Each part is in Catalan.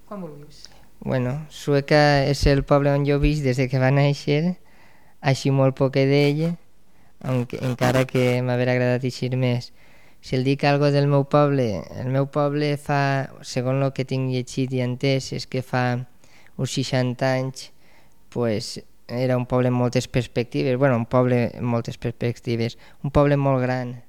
quan vulguis. Bueno, Sueca és el poble on jo visc des que va néixer, així molt poc d'ell, encara que m'haver agradat eixir més. Si el dic algo del meu poble, el meu poble fa, segons el que tinc llegit i entès, és que fa uns 60 anys pues, era un poble amb moltes perspectives, un poble amb moltes perspectives, un poble molt gran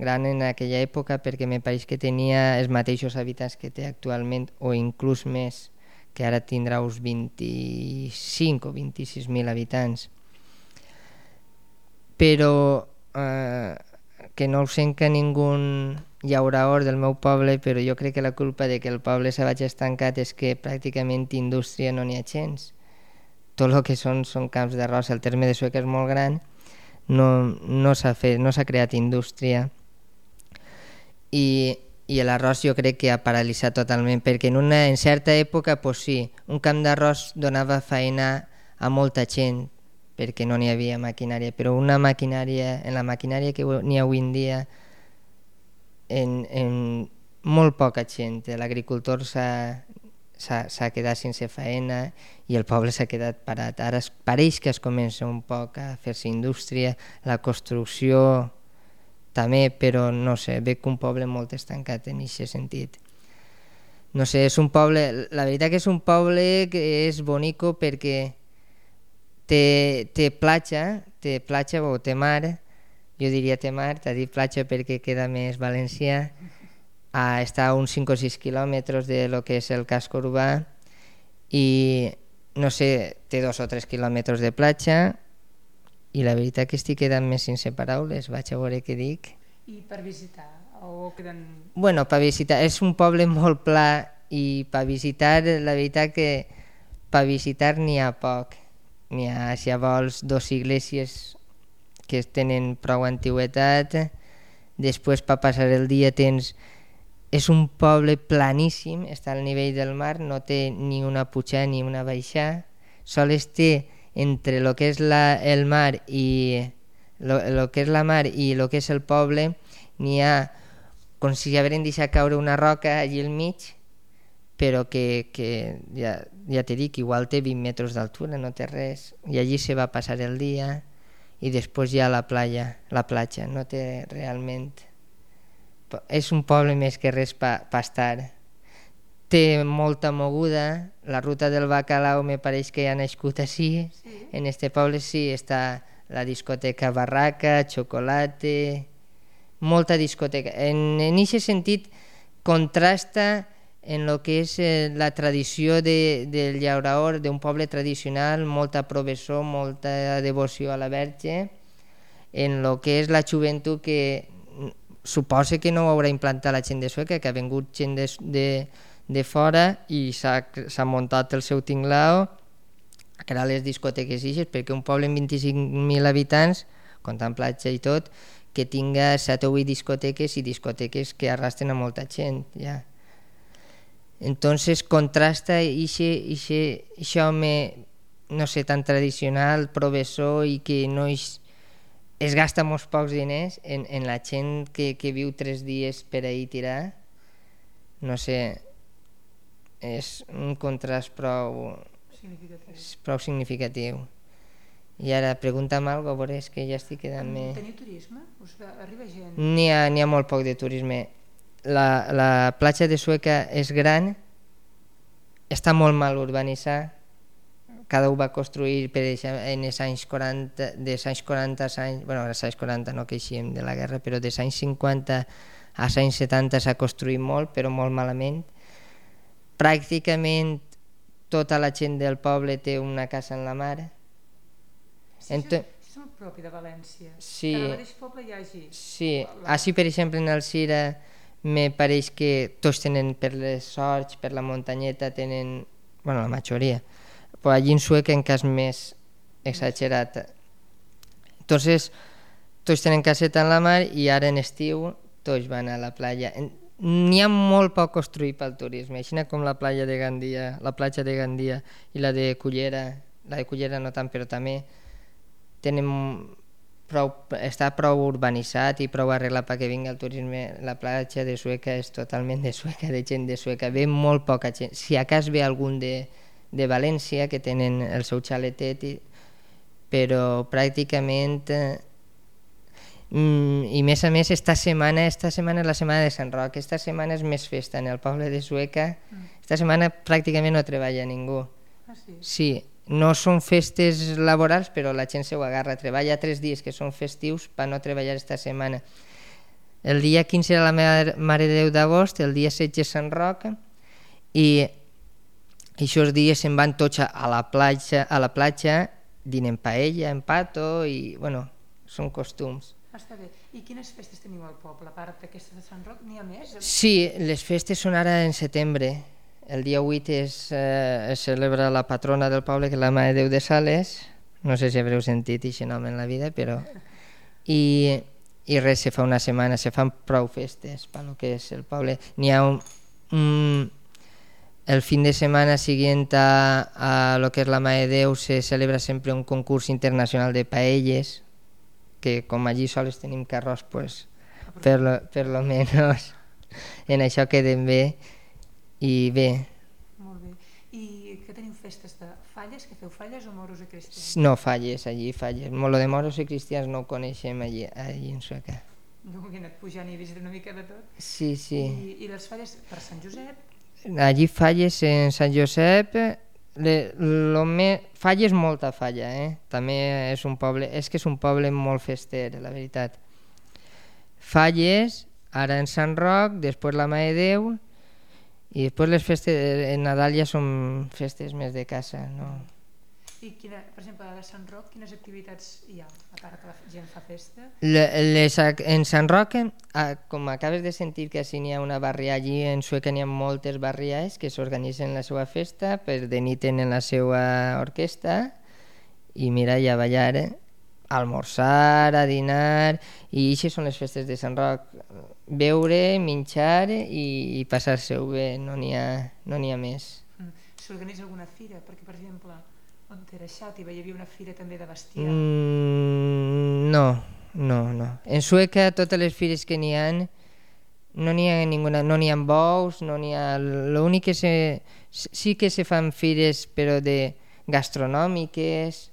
en aquella època perquè me pareix que tenia els mateixos habitants que té actualment o inclús més, que ara tindrà uns 25 o 26.000 habitants. Però que no ho sent que ningú llaurador del meu poble, però jo crec que la culpa de que el poble se vagi estancat és que pràcticament indústria no n'hi ha gens. Tot el que són camps d'arròs. El terme de Sueca és molt gran, no s'ha creat indústria i l'arròs jo crec que ha paralitzat totalment, perquè en certa època sí, un camp d'arròs donava feina a molta gent perquè no n'hi havia maquinària, però en la maquinària que n'hi ha avui en dia en molt poca gent. L'agricultor s'ha quedat sense feina i el poble s'ha quedat parat. Ara pareix que es comença un poc a fer-se indústria, la construcció també, però no sé, veig un poble molt estancat en aquest sentit. No sé, és un poble, la veritat que és un poble que és bonico perquè té platja o té mar, jo diria té mar, t'ha dit platja perquè queda més valencià, està a uns 5 o 6 quilòmetres de lo que és el casco urbà i no sé, té 2 o 3 quilòmetres de platja i la veritat que estic quedant més sense paraules, vaig a veure què dic. I per visitar? O queden... Bueno, per visitar, és un poble molt pla i per visitar, la veritat que per visitar n'hi ha poc. N'hi ha, si vols, 2 iglesias que tenen prou antiguitat, després per passar el dia tens... És un poble planíssim, està al nivell del mar, no té ni una pujada ni una baixada, sols té entre el que és el mar i el que és la mar i el que és el poble, n'hi ha com si hagueren deixat caure una roca allí al mig, però que ja t'he dit que igual té 20 metres d'altura, no té res, i allí se va passar el dia i després hi ha la platja, no té realment... És un poble més que res per estar. Té molta moguda, la ruta del bacalao me pareix que ha nascut així, en este poble sí, està la discoteca Barraca, Chocolate, molta discoteca. En aquest sentit contrasta en el que és la tradició del llaurador, d'un poble tradicional, molta professó, molta devoció a la Verge, en el que és la joventut que suposa que no ho haurà implantat la gent de Sueca, que ha vingut gent de fora i s'ha muntat el seu tinglao a crear les discoteques ixes, perquè un poble amb 25.000 habitants, comptant platja i tot, que tinga 7 o 8 discoteques i discoteques que arrastren a molta gent, ja. Entonces contrasta això home, no sé, tan tradicional, professor i que no es gasta molts pocs diners en la gent que viu 3 dies per ahir tirar. No sé, és un contrast prou significatiu. I ara pregunta'm alguna cosa, és que ja estic quedant més... Teniu turisme? Arriba gent? N'hi ha molt poc de turisme. La platja de Sueca és gran, està molt mal urbanitzada, cada un va construir per exemple, en els anys 40, dels anys 40 als anys, bueno, als anys 40 no queixem de la guerra, però dels anys 50 als anys 70 s'ha construït molt, però molt malament. Pràcticament tota la gent del poble té una casa en la mar. Sí, això és molt propi de València, sí, que en el mateix poble hi hagi. Sí, així per exemple en el Sira me pareix que tots tenen per les sorts, per la muntanyeta tenen, bueno, la majoria, però allí en Sueca en cas més exagerat. Entonces tots tenen caseta en la mar i ara en estiu tots van a la platja. N'hi ha molt poc construït pel turisme, així com la platja de Gandia i la de Cullera no tant, però també tenen està prou urbanitzat i prou arreglat perquè vingui el turisme. La platja de Sueca és totalment de Sueca, de gent de Sueca. Ve molt poca gent. Si a cas ve algun de València, que tenen el seu xaletet, però pràcticament... I més a més, esta setmana és la setmana de Sant Roc. Esta setmana és més festa en el poble de Sueca. Esta setmana pràcticament no treballa ningú. Sí, no són festes laborals, però la gent se ho agarra. Treballa 3 dies que són festius per no treballar esta setmana. El dia 15 era la Mare de Déu d'agost, el dia 16 és Sant Roc, i aquests dies se'n van tots a la platja, dinen paella, en pato, i bueno, són costums. Està bé. I quines festes teniu al poble? A part d'aquestes de Sant Roc, n'hi ha més? Sí, les festes són ara en setembre. El dia 8 es celebra la patrona del poble, que és la Mare de Déu de Sales. No sé si haureu sentit aquest nom en la vida, però... I res, se fa una setmana, se fan prou festes per lo que és el poble. N'hi ha el fin de semana siguiente a lo que es la Mare de Déu se celebra sempre un concurs internacional de paelles, que com allí sols tenim carròs, pues, per lo menos en això quedem bé. I bé. Molt bé. I que teniu festes de falles? Que feu falles o moros i cristians? No, falles, allí falles. Lo de moros i cristians no ho coneixem allí en Sueca. No he anat pujant i he vist una mica de tot. Sí, sí. I les falles per Sant Josep? Allí falles en Sant Josep, falles molta falla, també és un poble, és un poble molt fester, la veritat. Falles, ara en Sant Roc, després la Mare de Déu, i després les festes en Nadal ja són festes més de casa, no? I per exemple, a Sant Roc, quines activitats hi ha, a part que la gent fa festa? En Sant Roc, com acabes de sentir que si n'hi ha una barrià allí, en Sueca n'hi ha moltes barriades que s'organitzen la seva festa, per de nit tenen la seva orquestra, i mira, i a ballar, a almorzar, a dinar, i aquestes són les festes de Sant Roc. Beure, menjar i passar-se-ho bé, no n'hi ha més. S'organitza alguna fira? Perquè, per exemple, on era Xàtiva hi havia una fira també de bestiar. No. En Sueca totes les fires que n'hi ha no n'hi ha ninguna, no n'hi ha bous, no n'hi ha... L'únic que sí que se fan fires però de gastronòmiques,